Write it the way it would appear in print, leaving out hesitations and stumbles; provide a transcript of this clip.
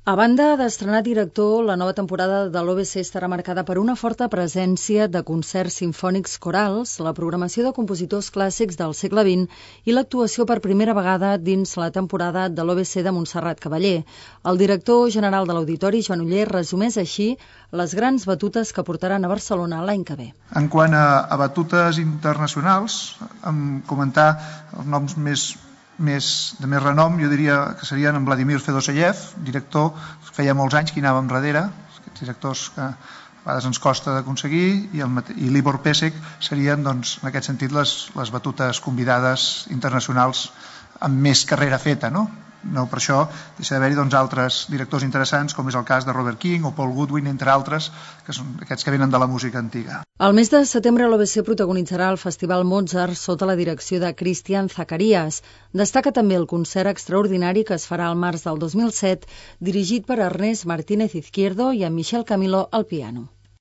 A banda d'estrenar director, la nova temporada de l'OBC estarà marcada per una forta presència de concerts simfònics corals, la programació de compositors clàssics del segle XX i l'actuació per primera vegada dins la temporada de l'OBC de Montserrat Cavaller. El director general de l'Auditori, Joan Oller, resumeix així les grans batutes que portaran a Barcelona l'any que ve. En quant a batutes internacionals, comentar els noms de més renom, jo diria que serien en Vladimir Fedoseyev, director, feia molts anys que hi anàvem darrere, aquests directors que a vegades ens costa d'aconseguir, i l'Ibor Pesek serien, doncs, en aquest sentit, les batutes convidades internacionals amb més carrera feta, no? No, per això deixa d'haver-hi altres directors interessants, com és el cas de Robert King o Paul Goodwin, entre altres, que són aquests que venen de la música antiga. El mes de setembre l'OBC protagonitzarà el Festival Mozart sota la direcció de Christian Zacharias. Destaca també el concert extraordinari que es farà al març del 2007, dirigit per Ernest Martínez Izquierdo i amb Michel Camilo al piano.